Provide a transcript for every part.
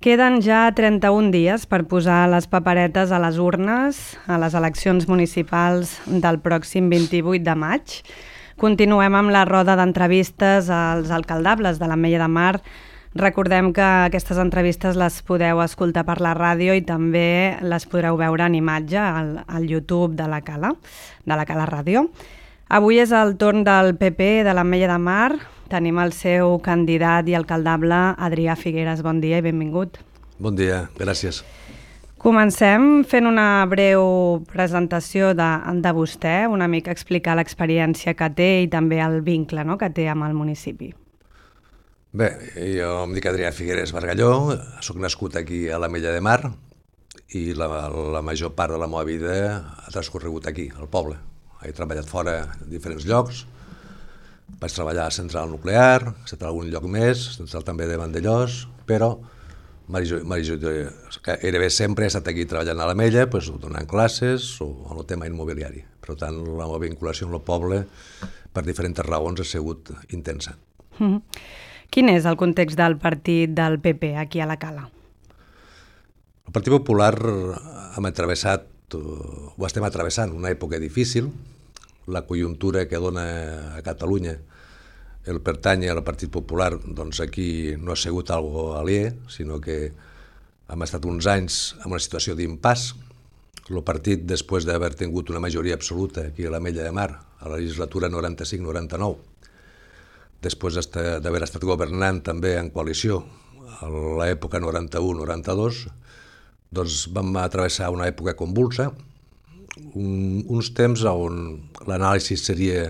Queden ja 31 dies per posar les paperetes a les urnes a les eleccions municipals del pròxim 28 de maig. Continuem amb la roda d'entrevistes als alcaldables de l'Ametlla de Mar. Recordem que aquestes entrevistes les podeu escoltar per la ràdio i també les podreu veure en imatge al YouTube de la Cala Ràdio. Avui és el torn del PP de l'Ametlla de Mar. Tenim el seu candidat i alcaldable, Adrià Figueres. Bon dia i benvingut. Bon dia, gràcies. Comencem fent una breu presentació de vostè, una mica explicar l'experiència que té i també el vincle que té amb el municipi. Bé, jo em dic Adrià Figueres Bargalló, soc nascut aquí a l'Ametlla de Mar i la major part de la meva vida ha transcorregut aquí, al poble. He treballat fora en diferents llocs. Vaig treballar a Central Nuclear, he estat a algun lloc més, Central també de Vandellós, però gairebé sempre he estat aquí treballant a l'Ametlla, donant classes o en el tema immobiliari. Per tant, la meva vinculació amb el poble, per diferents raons, ha sigut intensa. Quin és el context del partit del PP aquí a la Cala? El Partit Popular estem travessant una època difícil. La conjuntura que dona a Catalunya el pertany al Partit Popular, doncs aquí no ha sigut algo aliè, sinó que hem estat uns anys en una situació d'impàs. El partit, després d'haver tingut una majoria absoluta aquí a l'Ametlla de Mar, a la legislatura 95-99, després d'haver estat governant també en coalició a l'època 91-92, doncs vam travessar una època convulsa, uns temps on l'anàlisi seria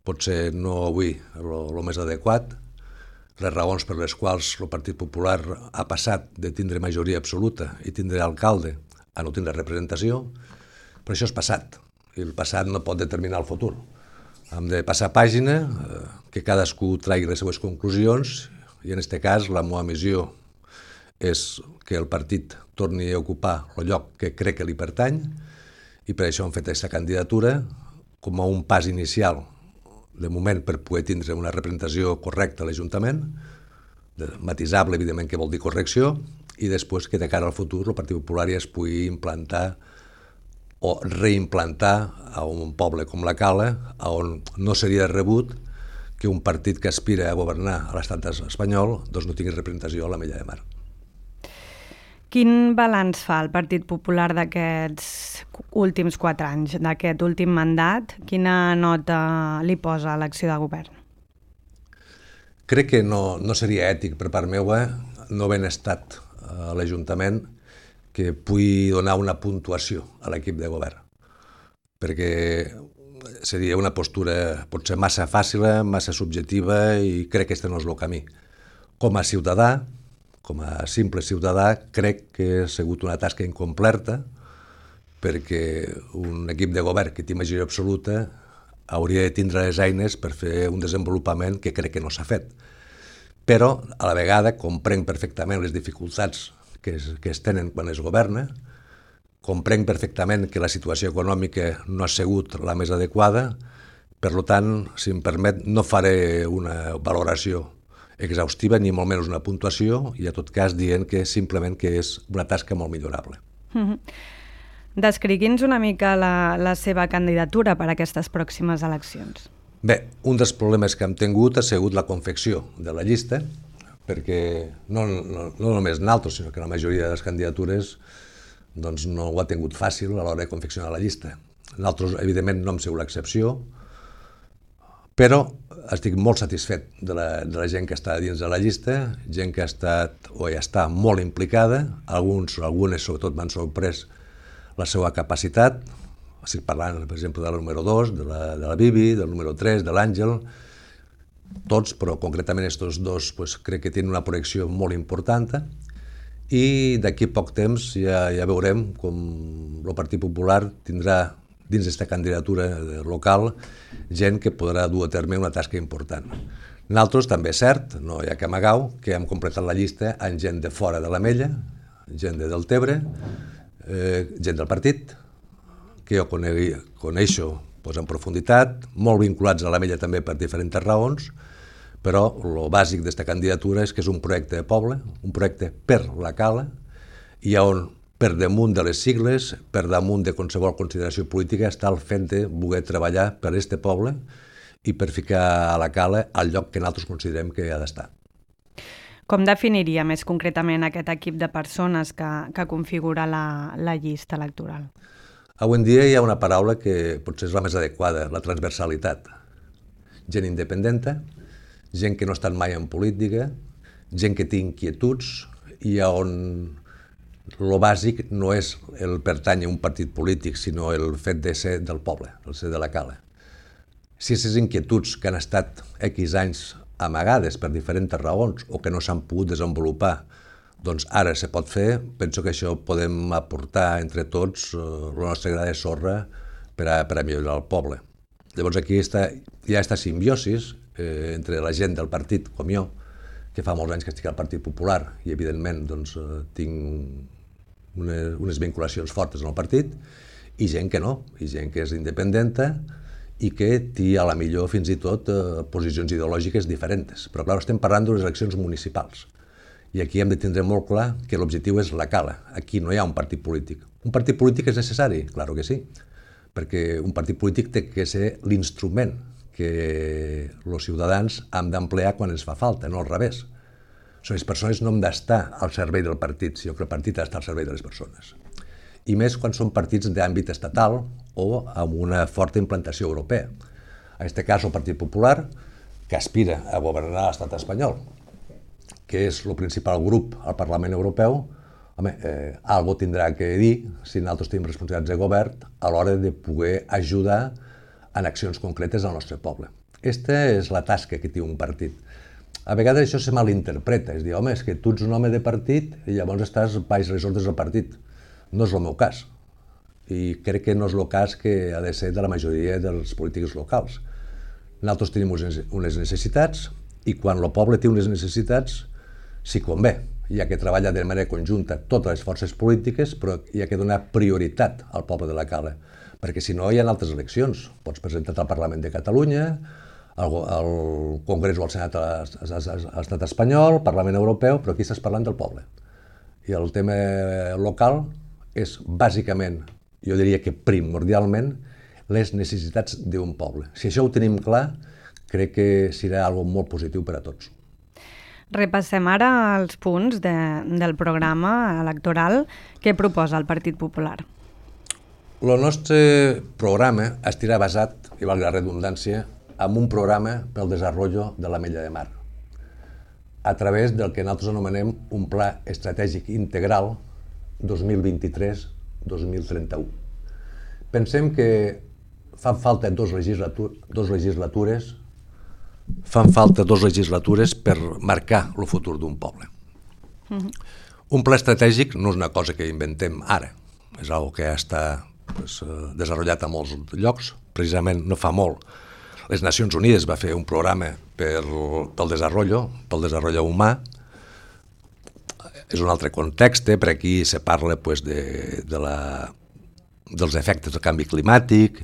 potser no avui el més adequat, les raons per les quals el Partit Popular ha passat de tindre majoria absoluta i tindre alcalde a no tindre representació, però això és passat, i el passat no pot determinar el futur. Hem de passar pàgina, que cadascú tregui les seues conclusions, i en aquest cas la meva missió és que el partit torni a ocupar el lloc que crec que li pertany, i per això hem fet aquesta candidatura com a un pas inicial, de moment, per poder tindre una representació correcta a l'Ajuntament, matisable, evidentment, que vol dir correcció, i després que de cara al futur el Partit Popular ja es pugui implantar o reimplantar a un poble com la Cala, on no seria rebut que un partit que aspira a governar a l'estat espanyol doncs no tingui representació a l'Ametlla de Mar. Quin balanç fa el Partit Popular d'aquests últims 4 anys, d'aquest últim mandat? Quina nota li posa a l'acció de govern? Crec que no seria ètic per part meva no haver estat a l'Ajuntament que pugui donar una puntuació a l'equip de govern, perquè seria una postura potser massa fàcil, massa subjectiva, i crec que aquest no és el camí. Com a ciutadà, com a simple ciutadà, crec que ha sigut una tasca incompleta, perquè un equip de govern que té majoria absoluta hauria de tindre les eines per fer un desenvolupament que crec que no s'ha fet. Però, a la vegada, comprenc perfectament les dificultats que es tenen quan es governa, comprenc perfectament que la situació econòmica no ha sigut la més adequada, per tant, si em permet, no faré una valoració exhaustiva ni molt menys una puntuació, i en tot cas dient que simplement que és una tasca molt millorable. Descrigui'ns una mica la seva candidatura per a aquestes pròximes eleccions. Bé, un dels problemes que hem tingut ha sigut la confecció de la llista, perquè no només nosaltres, sinó que la majoria de les candidatures doncs no ho ha tingut fàcil a l'hora de confeccionar la llista. Nosaltres, evidentment, no hem sigut l'excepció, però estic molt satisfet de la gent que està dins de la llista, gent que ha estat o ja està molt implicada, algunes sobretot m'han sorprès la seva capacitat. Estic parlant, per exemple, de la número 2, de la Bibi, del número 3, de l'Àngel, tots, però concretament aquests dos crec que tenen una projecció molt important, i d'aquí a poc temps ja veurem com el Partit Popular tindrà dins d'aquesta candidatura local gent que podrà dur a terme una tasca important. Nosaltres també és cert, no hi ha que amagar, que hem completat la llista amb gent de fora de l'Ametlla, gent de Deltebre, gent del partit, que jo coneixo en profunditat, molt vinculats a l'Ametlla també per diferents raons, però el bàsic d'aquesta candidatura és que és un projecte de poble, un projecte per la Cala, i on per damunt de les sigles, per damunt de qualsevol consideració política, està el fet de voler treballar per aquest poble i per ficar a la Cala al lloc que nosaltres considerem que ha d'estar. Com definiria més concretament aquest equip de persones que configura la llista electoral? Avui en dia hi ha una paraula que potser és la més adequada, la transversalitat. Gent independenta, gent que no ha estat mai en política, gent que té inquietuds i on lo bàsic no és el pertànyer a un partit polític, sinó el fet de ser del poble, el ser de la Cala. Si aquestes inquietuds que han estat X anys amagades per diferents raons o que no s'han pogut desenvolupar, doncs ara se pot fer, penso que això podem aportar entre tots la nostra gra de sorra per a millorar el poble. Llavors aquí hi ha aquesta simbiosis entre la gent del partit, com jo, que fa molts anys que estic al Partit Popular i evidentment doncs, tinc unes vinculacions fortes en el partit, i gent que no, i gent que és independenta i que té a la millor fins i tot posicions ideològiques diferents. Però clar, estem parlant d'unes eleccions municipals i aquí hem de tindre molt clar que l'objectiu és la Cala. Aquí no hi ha un partit polític. Un partit polític és necessari? Claro que sí, perquè un partit polític té que ser l'instrument que els ciutadans han d'emplear quan ens fa falta, no al revés. Les persones no han d'estar al servei del partit, sinó que el partit ha d'estar al servei de les persones. I més quan són partits d'àmbit estatal o amb una forta implantació europea. En aquest cas, el Partit Popular, que aspira a governar l'estat espanyol, que és el principal grup al Parlament Europeu, algo tindrà que dir, si nosaltres tenim responsabilitats de govern, a l'hora de poder ajudar en accions concretes al nostre poble. Aquesta és la tasca que té un partit. A vegades això se malinterpreta, és dir, home, és que tu ets un home de partit i llavors estàs baix les ordres del partit. No és el meu cas. I crec que no és el cas que ha de ser de la majoria dels polítics locals. Nosaltres tenim unes necessitats i quan el poble té unes necessitats s'hi convé. Hi ha que treballar de manera conjunta totes les forces polítiques, però hi ha que donar prioritat al poble de la Cala, perquè si no hi ha altres eleccions. Pots presentar-te al Parlament de Catalunya, al Congrés o al Senat a l'estat espanyol, al Parlament Europeu, però aquí estàs parlant del poble. I el tema local és bàsicament, jo diria que primordialment, les necessitats d'un poble. Si això ho tenim clar, crec que serà algo molt positiu per a tots. Repassem ara els punts del programa electoral que proposa el Partit Popular. El nostre programa estarà basat, i valgui la redundància, en un programa pel desenvolupament de l'Ametlla de Mar, a través del que nosaltres anomenem un pla estratègic integral 2023-2031. Pensem que fan falta dos legislatures per marcar el futur d'un poble. Un pla estratègic no és una cosa que inventem ara, és una cosa que està desenvolupat a molts llocs, precisament no fa molt. Les Nacions Unides va fer un programa pel desenvolupament humà. És un altre context, per aquí se parla dels efectes del canvi climàtic,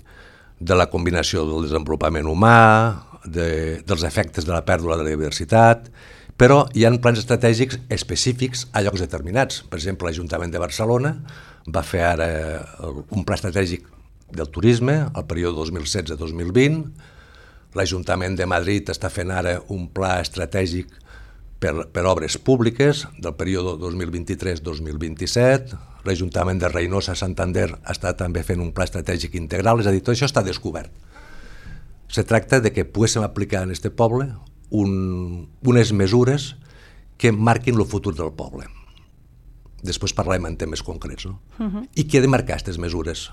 de la combinació del desenvolupament humà, dels efectes de la pèrdua de la biodiversitat, però hi ha plans estratègics específics a llocs determinats. Per exemple, l'Ajuntament de Barcelona va fer ara un pla estratègic del turisme al període 2016-2020, l'Ajuntament de Madrid està fent ara un pla estratègic per obres públiques del període 2023-2027, l'Ajuntament de Reynosa, Santander, està també fent un pla estratègic integral, és a dir, tot això està descobert. Se tracta de que poguéssim aplicar en aquest poble unes mesures que marquin el futur del poble. Després parlarem en temes concrets, no? I qui ha de marcar aquestes mesures?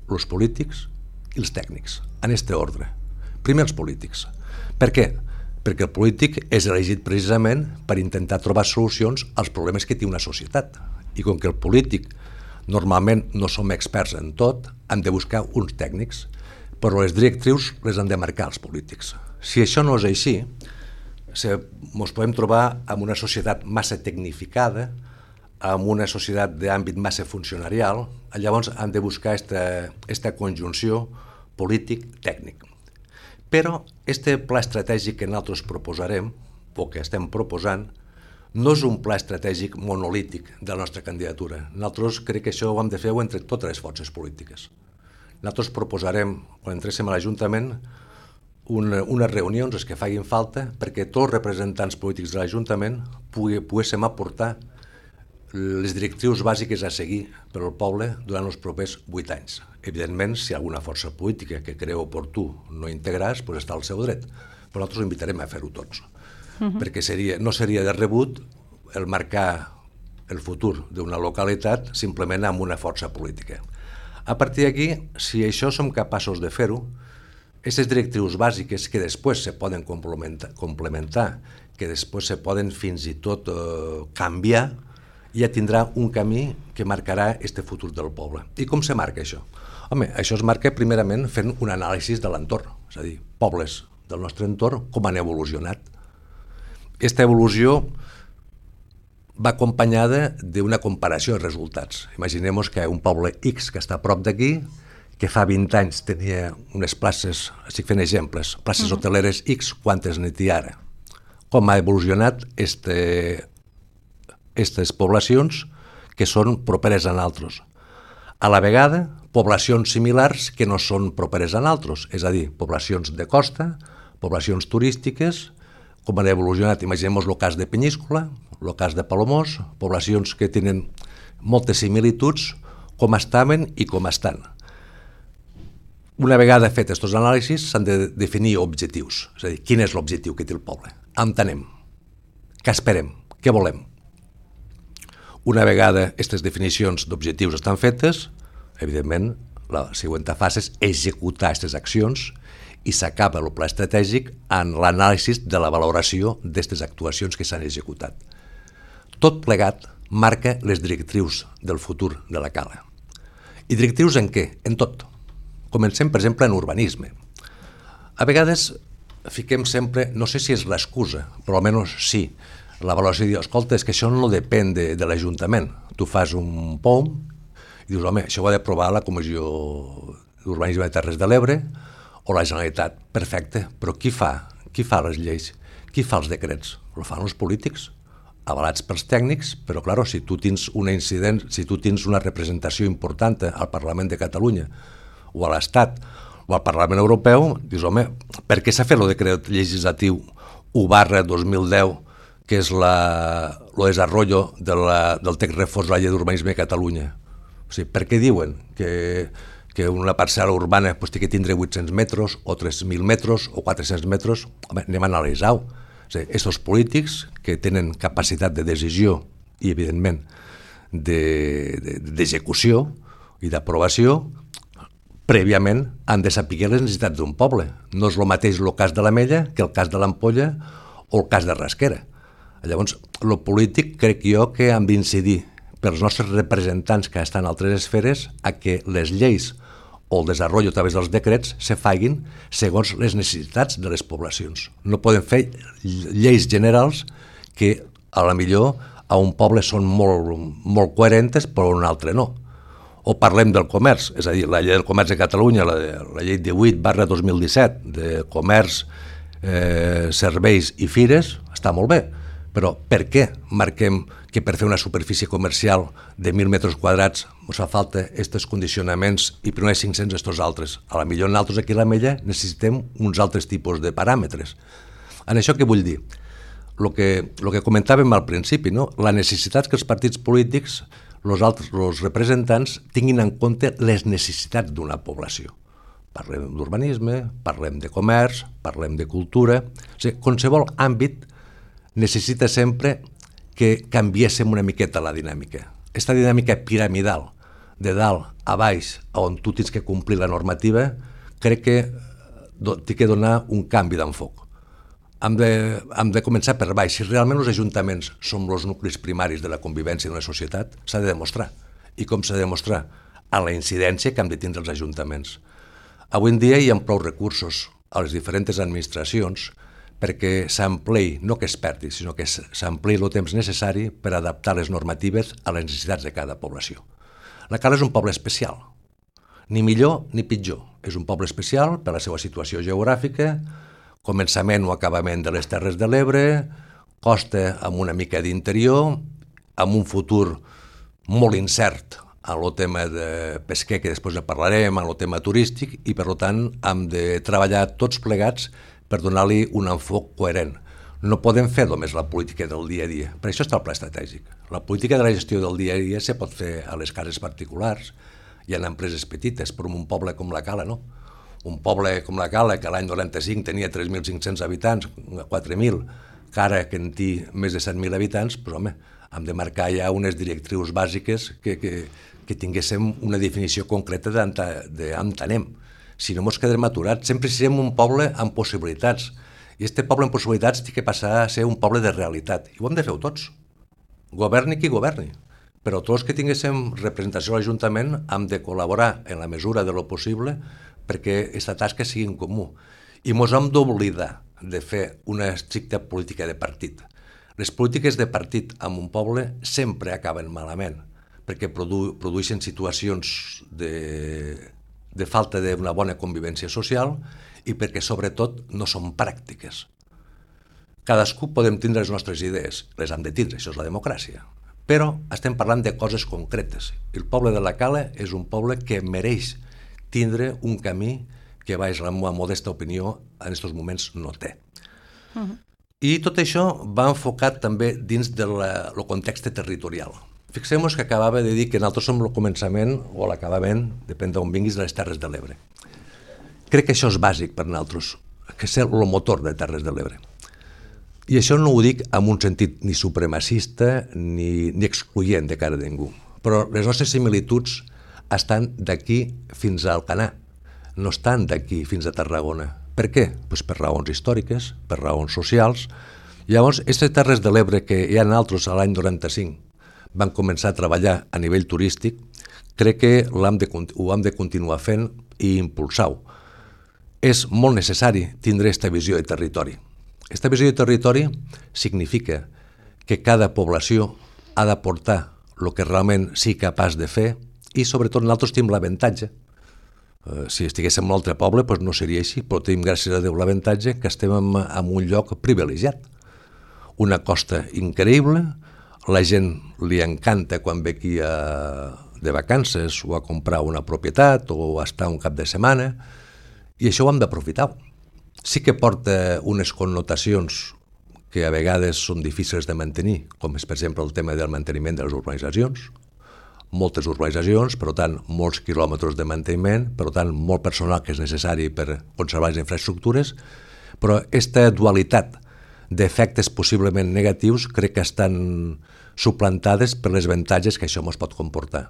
Els polítics i els tècnics, en aquest ordre. Primer els polítics. Per què? Perquè el polític és elegit precisament per intentar trobar solucions als problemes que té una societat. I com que el polític normalment no som experts en tot, hem de buscar uns tècnics, però les directrius les han de marcar els polítics. Si això no és així, ens podem trobar amb una societat massa tecnificada, amb una societat d'àmbit massa funcionarial, llavors hem de buscar aquesta conjunció polític-tècnic. Però este pla estratègic que nosaltres proposarem, o que estem proposant, no és un pla estratègic monolític de la nostra candidatura. Nosaltres crec que això ho hem de fer entre totes les forces polítiques. Nosaltres proposarem, quan entréssim a l'Ajuntament, unes reunions, les que facin falta, perquè tots els representants polítics de l'Ajuntament poguéssim aportar les directrius bàsiques a seguir per al poble durant els propers 8 anys. Evidentment, si alguna força política que creu oportú no integrar-se, doncs està al seu dret. Però nosaltres invitarem a fer-ho tots. Perquè no seria de rebut el marcar el futur d'una localitat simplement amb una força política. A partir d'aquí, si això som capaços de fer-ho, aquestes directrius bàsiques que després se poden complementar, que després se poden fins i tot canviar, ja tindrà un camí que marcarà este futur del poble. I com se marca això? Home, això es marca primerament fent un anàlisi de l'entorn, és a dir, pobles del nostre entorn, com han evolucionat. Aquesta evolució va acompanyada d'una comparació de resultats. Imaginem que un poble X que està a prop d'aquí, que fa 20 anys tenia unes places, estic fent exemples, places hoteleres X, quantes n'hi ha ara? Com ha evolucionat aquestes poblacions que són properes a altres. A la vegada, poblacions similars que no són properes a altres, és a dir, poblacions de costa, poblacions turístiques, com han evolucionat, imaginem el cas de Penyíscola, el cas de Palamós, poblacions que tenen moltes similituds, com estaven i com estan. Una vegada fet aquests anàlisis, s'han de definir objectius, és a dir, quin és l'objectiu que té el poble, on anem, què esperem, què volem. Una vegada aquestes definicions d'objectius estan fetes, evidentment, la següent fase és executar aquestes accions i s'acaba el pla estratègic en l'anàlisi de la valoració d'aquestes actuacions que s'han executat. Tot plegat marca les directrius del futur de la cala. I directrius en què? En tot. Comencem, per exemple, en urbanisme. A vegades fiquem sempre, no sé si és l'excusa, però almenys sí, la valoració de dir, escolta, és que això no depèn de l'Ajuntament. Tu fas un POM i dius, home, això ho ha d'aprovar la Comissió d'Urbanisme de Terres de l'Ebre o la Generalitat. Perfecte, però qui fa les lleis? Qui fa els decrets? Ho fan els polítics, avalats pels tècnics, però, clar, si tu tens una representació important al Parlament de Catalunya o a l'Estat o al Parlament Europeu, dius, home, per què s'ha fet el decret legislatiu 1/2010, que és el desenvolupament del text reforç de la llei d'urbanisme de Catalunya? O sigui, per què diuen que una parcel·la urbana té que tindre 800 metres o 3.000 metres o 400 metres? Home, anem a analitzar-ho. Aquests polítics que tenen capacitat de decisió i, evidentment, d'execució i d'aprovació, prèviament han de saber les necessitats d'un poble. No és el mateix el cas de l'Ametlla que el cas de l'Ampolla o el cas de Rasquera. Llavors, el polític crec jo que hem d'incidir pels nostres representants que estan a altres esferes a que les lleis o el desenvolupament a través dels decrets se facin segons les necessitats de les poblacions. No podem fer lleis generals que a la millor a un poble són molt coherentes però a un altre no. O parlem del comerç, és a dir, la llei del comerç de Catalunya, la llei 18/2017 de comerç, serveis i fires, està molt bé, però per què marquem que per fer una superfície comercial de 1.000 metres quadrats ens fa falta aquests condicionaments i primer 500 estos altres? A la millor nosaltres aquí a l'Ametlla necessitem uns altres tipus de paràmetres. En això què vull dir? El que comentàvem al principi, no? La necessitat que els partits polítics, els representants, tinguin en compte les necessitats d'una població. Parlem d'urbanisme, parlem de comerç, parlem de cultura. O sigui, qualsevol àmbit necessita sempre que canviéssim una miqueta la dinàmica. Aquesta dinàmica piramidal, de dalt a baix, on tu tens que complir la normativa, crec que té que donar un canvi d'enfoc. Hem de començar per baix. Si realment els ajuntaments són els nuclis primaris de la convivència d'una societat, s'ha de demostrar. I com s'ha de demostrar? A la incidència que han de tindre els ajuntaments. Avui en dia hi ha prou recursos a les diferents administracions perquè s'ampliï, no que es perdi, sinó que s'ampliï el temps necessari per adaptar les normatives a les necessitats de cada població. La Cala és un poble especial, ni millor ni pitjor, és un poble especial per la seva situació geogràfica, començament o acabament de les Terres de l'Ebre, costa amb una mica d'interior, amb un futur molt incert en el tema de pesquer, que després parlarem, en el tema turístic, i per tant hem de treballar tots plegats per donar-li un enfoc coherent. No podem fer només la política del dia a dia, per això està el pla estratègic. La política de la gestió del dia a dia se pot fer a les cases particulars, hi ha empreses petites, però en un poble com la Cala, no? Un poble com la Cala, que l'any 95 tenia 3.500 habitants, 4.000, que ara que en té més de 7.000 habitants, però home, hem de marcar ja unes directrius bàsiques que tinguéssim una definició concreta d'on anem. Si no ens quedem aturats, sempre serem un poble amb possibilitats. I aquest poble amb possibilitats té que passar a ser un poble de realitat. I ho hem de fer tots. Governi qui governi. Però tots que tinguéssim representació a l'Ajuntament hem de col·laborar en la mesura de lo possible perquè aquesta tasca sigui en comú. I ens hem d'oblidar de fer una estricta política de partit. Les polítiques de partit en un poble sempre acaben malament, perquè produeixen situacions de falta d'una bona convivència social i perquè, sobretot, no són pràctiques. Cadascú podem tindre les nostres idees, les hem de tindre, això és la democràcia, però estem parlant de coses concretes. El poble de la Cala és un poble que mereix tindre un camí que, baix la meva modesta opinió, en aquests moments no té. I tot això va enfocat també dins del context territorial. Fixem-nos que acabava de dir que nosaltres som el començament o l'acabament, depèn d'on vinguis, de les Terres de l'Ebre. Crec que això és bàsic per nosaltres, que és el motor de Terres de l'Ebre. I això no ho dic en un sentit ni supremacista ni excloent de cara a ningú, però les nostres similituds estan d'aquí fins a Alcanar, no estan d'aquí fins a Tarragona. Per què? Pues per raons històriques, per raons socials. Llavors, aquestes Terres de l'Ebre que hi ha altres a l'any 95 van començar a treballar a nivell turístic, crec que ho hem de continuar fent i impulsar-ho. És molt necessari tindre aquesta visió de territori. Aquesta visió de territori significa que cada població ha d'aportar el que realment sigui capaç de fer i, sobretot, nosaltres tenim l'avantatge. Si estiguéssim en un altre poble, doncs no seria així, però tenim, gràcies a Déu, l'avantatge que estem en un lloc privilegiat. Una costa increïble, la gent li encanta quan ve aquí de vacances o a comprar una propietat o a estar un cap de setmana, i això ho hem d'aprofitar. Sí que porta unes connotacions que a vegades són difícils de mantenir, com és, per exemple, el tema del manteniment de les urbanitzacions. Moltes urbanitzacions, per tant, molts quilòmetres de manteniment, per tant, molt personal que és necessari per conservar les infraestructures, però aquesta dualitat d'efectes possiblement negatius crec que estan suplantades per les avantatges que això ens pot comportar.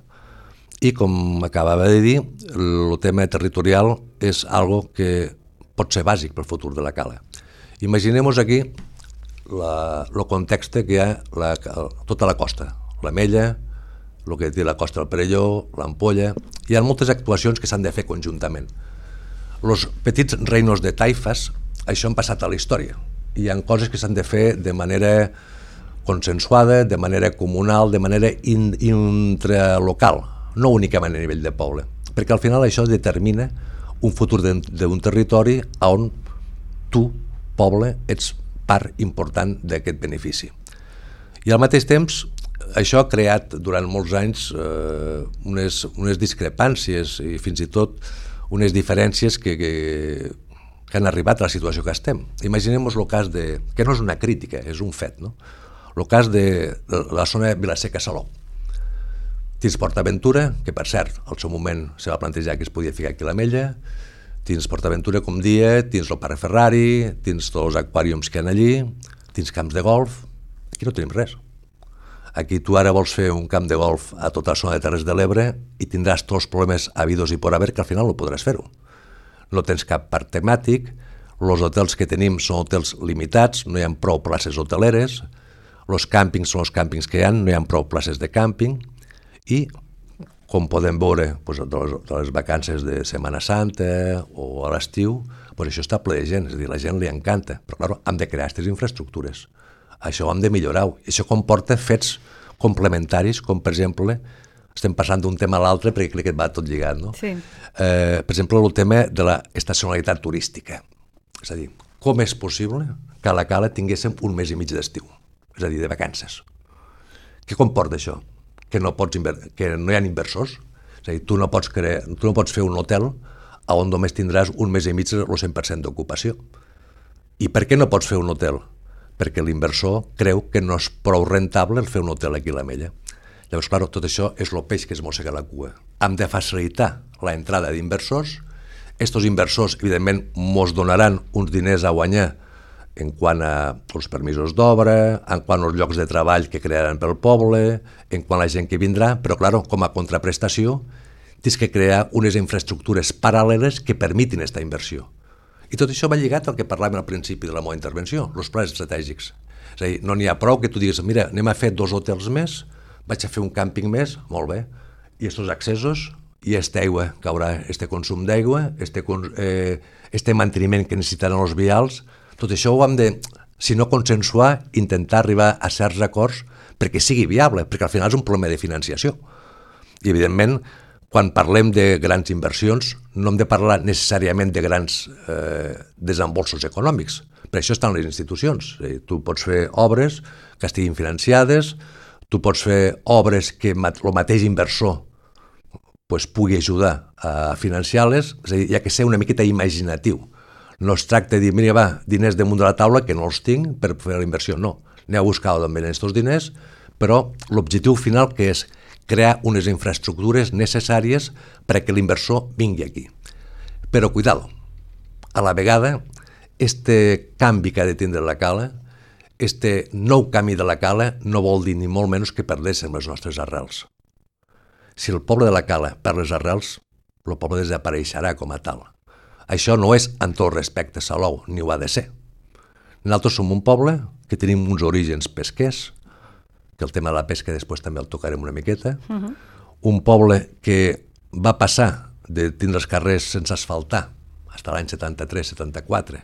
I, com acabava de dir, el tema territorial és algo que pot ser bàsic pel futur de la Cala. Imaginem-nos aquí el context que hi ha tota la costa, l'Ametlla, el que té la Costa del Perelló, l'Ampolla. Hi ha moltes actuacions que s'han de fer conjuntament. Els petits reinos de taifes, això han passat a la història. Hi ha coses que s'han de fer de manera consensuada, de manera comunal, de manera intralocal, no únicament a nivell de poble, perquè al final això determina un futur d'un territori on tu, poble, ets part important d'aquest benefici. I al mateix temps, això ha creat durant molts anys unes discrepàncies i fins i tot unes diferències que han arribat a la situació que estem. Imaginem-nos el cas de, que no és una crítica, és un fet, no? El cas de la zona de Vilaseca-Salou. Tens PortAventura, que per cert, al seu moment se va plantejar que es podia ficar aquí a l'Ametlla, tens PortAventura, com dia, tens el Parc Ferrari, tens tots els aquàriums que hi ha allí, tens camps de golf, aquí no tenim res. Aquí tu ara vols fer un camp de golf a tota la zona de Terres de l'Ebre i tindràs tots els problemes habidos i por haver que al final no podràs fer-ho. No tens cap parc temàtic, els hotels que tenim són hotels limitats, no hi ha prou places hoteleres, els càmpings són els càmpings que hi ha, no hi ha prou places de càmping i, com podem veure de les vacances de Setmana Santa o a l'estiu, això està ple de gent, és a dir, la gent li encanta, però clar, hem de crear aquestes infraestructures. Això ho hem de millorar. Això comporta fets complementaris, com per exemple estem passant d'un tema a l'altre perquè crec que va tot lligat, no? Sí. Per exemple, el tema de l'estacionalitat turística. És a dir, com és possible que a la Cala tinguéssim un mes i mig d'estiu? És a dir, de vacances. Què comporta això? Que no hi ha inversors? És a dir, tu no pots fer un hotel on només tindràs un mes i mig el 100% d'ocupació. I per què no pots fer un hotel? Perquè l'inversor creu que no és prou rentable fer un hotel aquí a l'Ametlla. Llavors, clar, tot això és el peix que es mossega la cua. Hem de facilitar l'entrada d'inversors. Estos inversors, evidentment, mos donaran uns diners a guanyar en quant als permisos d'obra, en quant als llocs de treball que crearan pel poble, en quant a la gent que vindrà, però, clar, com a contraprestació, tens que crear unes infraestructures paral·leles que permitin aquesta inversió. I tot això va lligat al que parlàvem al principi de la meva intervenció, els plans estratègics. És a dir, no n'hi ha prou que tu digues, mira, anem a fer 2 hotels més, vaig a fer un càmping més, molt bé, i aquests accessos, i aquesta aigua que haurà, este consum d'aigua, este manteniment que necessitaran els vials, tot això ho hem de, si no consensuar, intentar arribar a certs acords perquè sigui viable, perquè al final és un problema de financiació. I, evidentment, quan parlem de grans inversions, no hem de parlar necessàriament de grans desembolsos econòmics. Per això estan les institucions. Tu pots fer obres que estiguin financiades, tu pots fer obres que el mateix inversor pugui ajudar a financiar-les, és a dir, hi ha que ser una miqueta imaginatiu. No es tracta de dir, mira, va, diners damunt de la taula que no els tinc per fer la inversió. No, aneu a buscar d'on venen aquests diners, però l'objectiu final que és crear unes infraestructures necessàries perquè l'inversor vingui aquí. Però, cuidado, a la vegada, este canvi que ha de tindre la Cala, este nou camí de la Cala, no vol dir ni molt menys que perdéssim les nostres arrels. Si el poble de la Cala perd les arrels, el poble desapareixerà com a tal. Això no és en tot respecte a Salou, ni ho ha de ser. Nosaltres som un poble que tenim uns orígens pesquers, que el tema de la pesca després també el tocarem una miqueta, un poble que va passar de tindre els carrers sense asfaltar fins l'any 73-74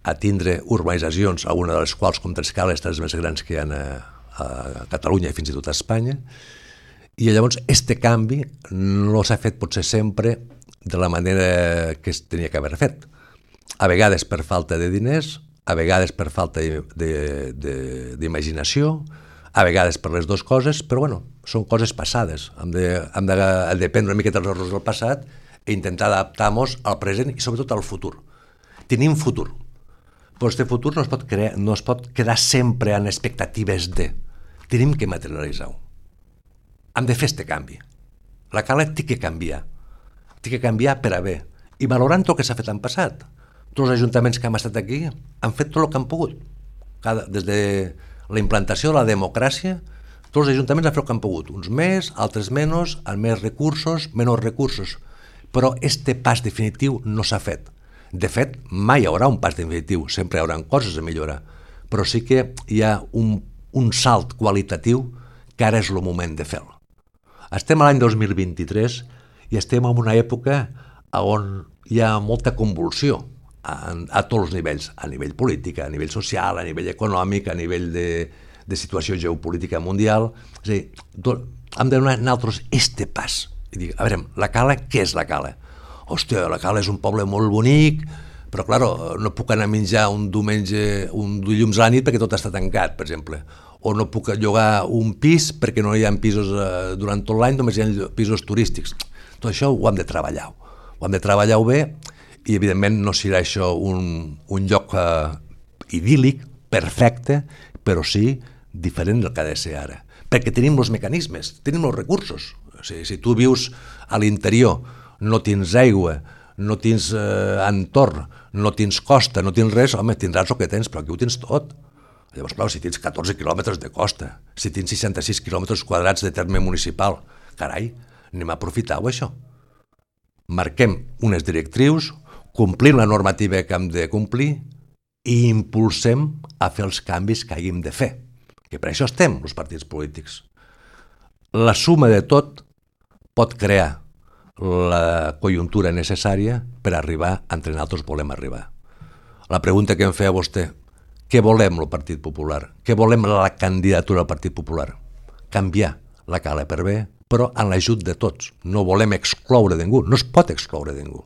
a tindre urbanitzacions, alguna de les quals, com Trescales, les més grans que hi ha a Catalunya i fins i tot a Espanya, i llavors este canvi no s'ha fet potser sempre de la manera que es tenia que haver fet. A vegades per falta de diners, a vegades per falta d'imaginació, a vegades per les dues coses, però bueno, són coses passades. Hem de prendre una miqueta els errors del passat i intentar adaptar-nos al present i sobretot al futur. Tenim futur, però aquest futur no es pot quedar sempre en expectatives de. Tenim que materialitzar-ho. Hem de fer aquest canvi. La Cala té que canviar. Té que canviar per a bé. I valorant tot el que s'ha fet en passat. Tots els ajuntaments que hem estat aquí han fet tot el que han pogut. Des de la implantació de la democràcia, tots els ajuntaments han fet el que han pogut. Uns més, altres menys, amb més recursos, menys recursos. Però este pas definitiu no s'ha fet. De fet, mai hi haurà un pas definitiu. Sempre hi haurà coses a millorar. Però sí que hi ha un salt qualitatiu que ara és el moment de fer-lo. Estem a l'any 2023 i estem en una època on hi ha molta convulsió a tots els nivells, a nivell polític, a nivell social, a nivell econòmic, a nivell de situació geopolítica mundial. És a dir, hem de donar nosaltres este pas. I dir, a veure, la Cala, què és la Cala? Hòstia, la Cala és un poble molt bonic, però, clar, no puc anar a menjar un diumenge, un dilluns a la nit perquè tot està tancat, per exemple. O no puc llogar un pis perquè no hi ha pisos durant tot l'any, només hi ha pisos turístics. Tot això ho hem de treballar. Ho hem de treballar bé i, evidentment, no serà això un lloc idíl·lic, perfecte, però sí diferent del que ha de ser ara. Perquè tenim els mecanismes, tenim els recursos. O sigui, si tu vius a l'interior, no tens aigua, no tens entorn, no tens costa, no tens res, home, tindràs el que tens, però aquí ho tens tot. Llavors, clar, si tens 14 quilòmetres de costa, si tens 66 quilòmetres quadrats de terme municipal, carai, anem a aprofitar-ho, això. Marquem unes directrius, complim la normativa que hem de complir i impulsem a fer els canvis que haguem de fer, que per això estem, els partits polítics. La suma de tot pot crear la conjuntura necessària per arribar on nosaltres volem arribar. La pregunta que em feia vostè, què volem el Partit Popular? Què volem la candidatura del Partit Popular? Canviar la Cala per bé, però en l'ajut de tots. No volem excloure ningú, no es pot excloure ningú.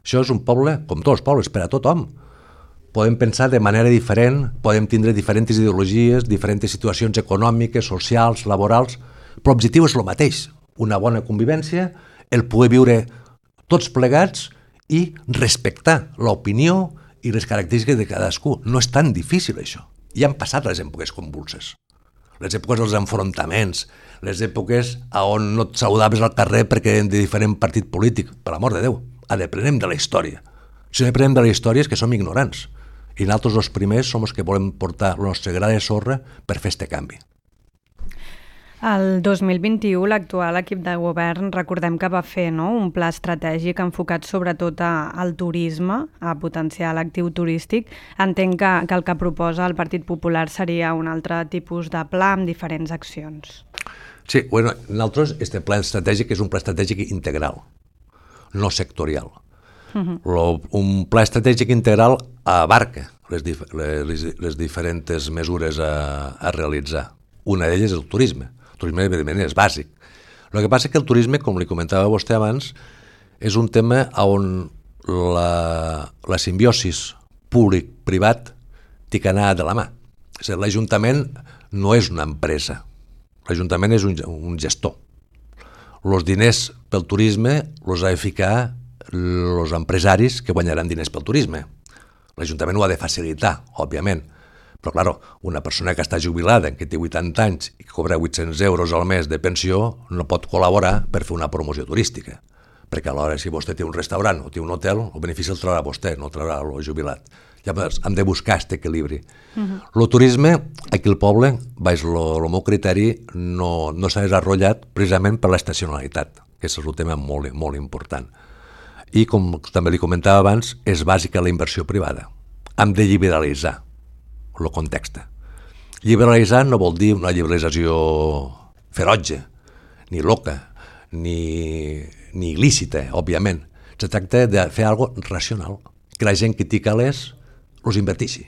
Això és un poble, com tots els pobles, per a tothom. Podem pensar de manera diferent, podem tindre diferents ideologies, diferents situacions econòmiques, socials, laborals, però l'objectiu és el mateix, una bona convivència, el poder viure tots plegats i respectar l'opinió i les característiques de cadascú. No és tan difícil això. Ja han passat les èpoques convulses, les èpoques dels enfrontaments, les èpoques on no et saludaves al carrer perquè eren de diferent partit polític. Per l'amor de Déu, aprenem de la història. Si no aprenem de la història és que som ignorants. I nosaltres els primers som els que volem portar la nostra gra de sorra per fer este canvi. El 2021 l'actual equip de govern recordem que va fer un pla estratègic enfocat sobretot al turisme, a potenciar l'actiu turístic. Entenc que el que proposa el Partit Popular seria un altre tipus de pla amb diferents accions. Sí, bueno, nosaltres este pla estratègic és un pla estratègic integral, no sectorial. Un pla estratègic integral abarca les diferents mesures a realitzar. Una d'elles és el turisme. El turisme, evidentment, és bàsic. El que passa és que el turisme, com li comentava vostè abans, és un tema on la simbiosis públic-privat té que anar de la mà. L'Ajuntament no és una empresa. L'Ajuntament és un gestor. Els diners pel turisme els ha de ficar els empresaris que guanyaran diners pel turisme. L'Ajuntament ho ha de facilitar, òbviament, però, clar, una persona que està jubilada, que té 80 anys i que cobra 800 euros al mes de pensió, no pot col·laborar per fer una promoció turística, perquè alhora si vostè té un restaurant o té un hotel, el benefici el traurà vostè, no el traurà el jubilat. Llavors hem de buscar aquest equilibri. El turisme, aquí al poble, baix el meu criteri, no s'ha desenvolupat precisament per l'estacionalitat, que és un tema molt, molt important. I, com també li comentava abans, és bàsica la inversió privada. Hem de liberalitzar el context. Liberalitzar no vol dir una liberalització ferotge, ni loca, ni il·lícita, òbviament. Se tracta de fer alguna cosa racional, que la gent que té calés els inverteixi,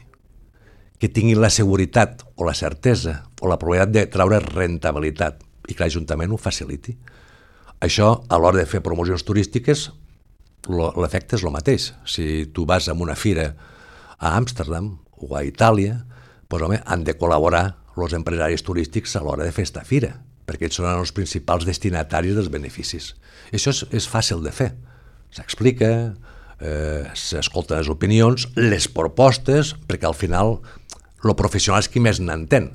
que tinguin la seguretat o la certesa o la probabilitat de treure rentabilitat i que l'Ajuntament ho faciliti. Això, a l'hora de fer promocions turístiques, l'efecte és el mateix. Si tu vas a una fira a Amsterdam o a Itàlia, doncs, home, han de col·laborar els empresaris turístics a l'hora de fer esta fira, perquè ells són els principals destinataris dels beneficis. Això és fàcil de fer. S'explica, s'escolten les opinions, les propostes, perquè al final el professional és qui més n'entén.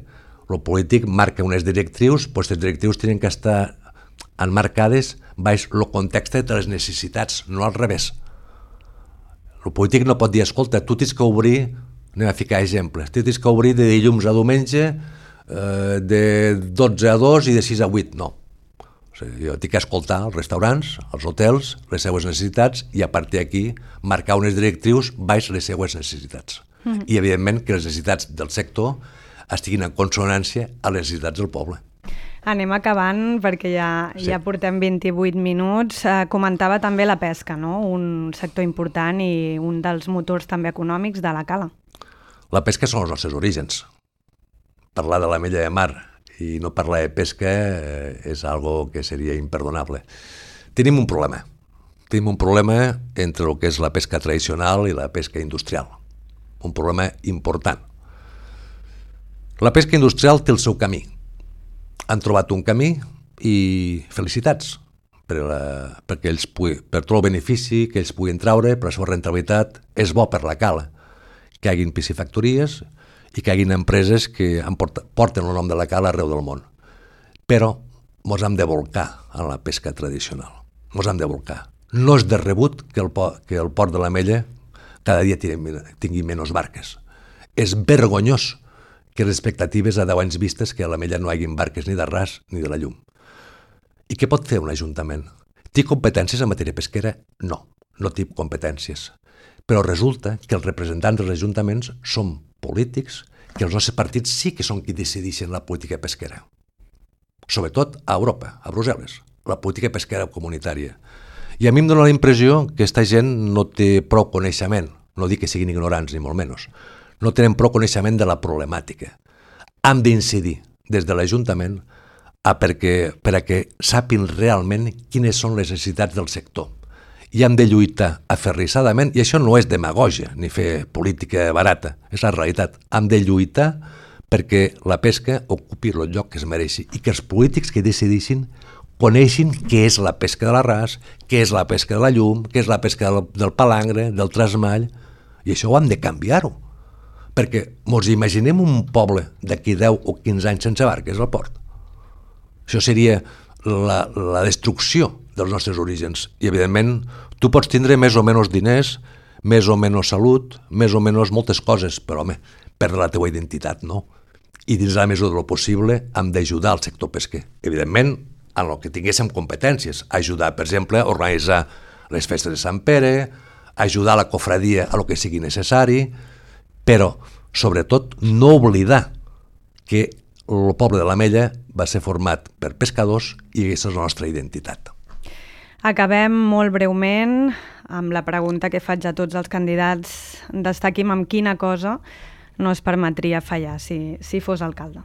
El polític marca unes directrius, doncs les directrius tenen que estar emmarcades baix el context de les necessitats, no al revés. El polític no pot dir, escolta, tu tens que obrir, anem a ficar exemples, tu tens que obrir de dilluns a diumenge, de 12 a 2 i de 6 a 8, no. O sigui, jo tinc que escoltar els restaurants, els hotels, les seues necessitats i a partir d'aquí marcar unes directrius baix les seues necessitats. I evidentment que les necessitats del sector estiguin en consonància a les necessitats del poble. Anem acabant perquè ja portem 28 minuts. Comentava també la pesca, no? Un sector important i un dels motors també econòmics de la Cala. La pesca són els nostres orígens. Parlar de l'amella de mar i no parlar de pesca és algo que seria imperdonable. Tenim un problema. Tenim un problema entre el que és la pesca tradicional i la pesca industrial. Un problema important. La pesca industrial té el seu camí. Han trobat un camí i felicitats perquè ells per tot el benefici que ells puguin treure, per la seva rentabilitat, és bo per la Cala que hi hagin piscifactories i que hi hagin empreses que porten el nom de la Cala arreu del món. Però ens hem de volcar a la pesca tradicional. Ens hem de volcar. No és de rebut que el port de l'Ametlla cada dia tingui menys barques. És vergonyós que les expectatives a 10 anys vistes que a l'Ametlla no hi hagi barques ni d'arràs ni de la llum. I què pot fer un ajuntament? Té competències en matèria pesquera? No, no té competències. Però resulta que els representants dels ajuntaments són polítics, que els nostres partits sí que són qui decideixen la política pesquera. Sobretot a Europa, a Brussel·les, la política pesquera comunitària. I a mi em dóna la impressió que aquesta gent no té prou coneixement, no dic que siguin ignorants ni molt menys, no tenen prou coneixement de la problemàtica. Hem d'incidir des de l'Ajuntament per a que sàpin realment quines són les necessitats del sector. I hem de lluitar aferrissadament, i això no és demagògia ni fer política barata, és la realitat. Hem de lluitar perquè la pesca ocupi el lloc que es mereixi i que els polítics que decidissin coneixin què és la pesca de l'arràs, què és la pesca de la llum, què és la pesca del palangre, del trasmall, i això ho hem de canviar-ho. Perquè ens imaginem un poble d'aquí 10 o 15 anys sense barques al port. Això seria la destrucció dels nostres orígens. I, evidentment, tu pots tindre més o menys diners, més o menys salut, més o menys moltes coses, però, home, perdre la teva identitat, no? I dins la mesura del possible hem d'ajudar al sector pesquer. Evidentment, en el que tinguéssim competències, ajudar, per exemple, a organitzar les festes de Sant Pere, ajudar la cofradia a lo que sigui necessari, però, sobretot, no oblidar que el poble de l'Ametlla va ser format per pescadors i aquesta és la nostra identitat. Acabem molt breument amb la pregunta que faig a tots els candidats. Destaquim amb quina cosa no es permetria fallar si fos alcalde.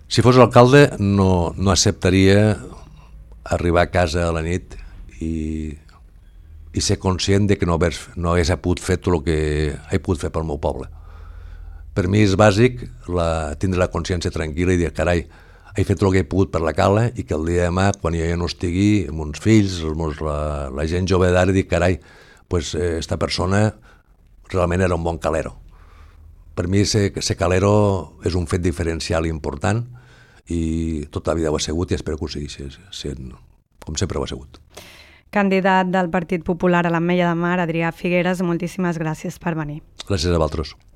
Si fos alcalde no acceptaria arribar a casa a la nit i ser conscient de que no hagués pogut fer tot el que he pogut fer pel meu poble. Per mi és bàsic tindre la consciència tranquil·la i dir, carai, he fet el que he pogut per la cala i que el dia de demà, quan jo ja no estigui, amb uns fills, la gent jove d'ara, dic, carai, esta persona realment era un bon calero. Per mi ser calero és un fet diferencial important i tota la vida ho ha sigut i espero que ho sigui sent, com sempre ho ha sigut. Candidat del Partit Popular a l'Ametlla de Mar, Adrià Figueres, moltíssimes gràcies per venir. Gràcies a vosaltres.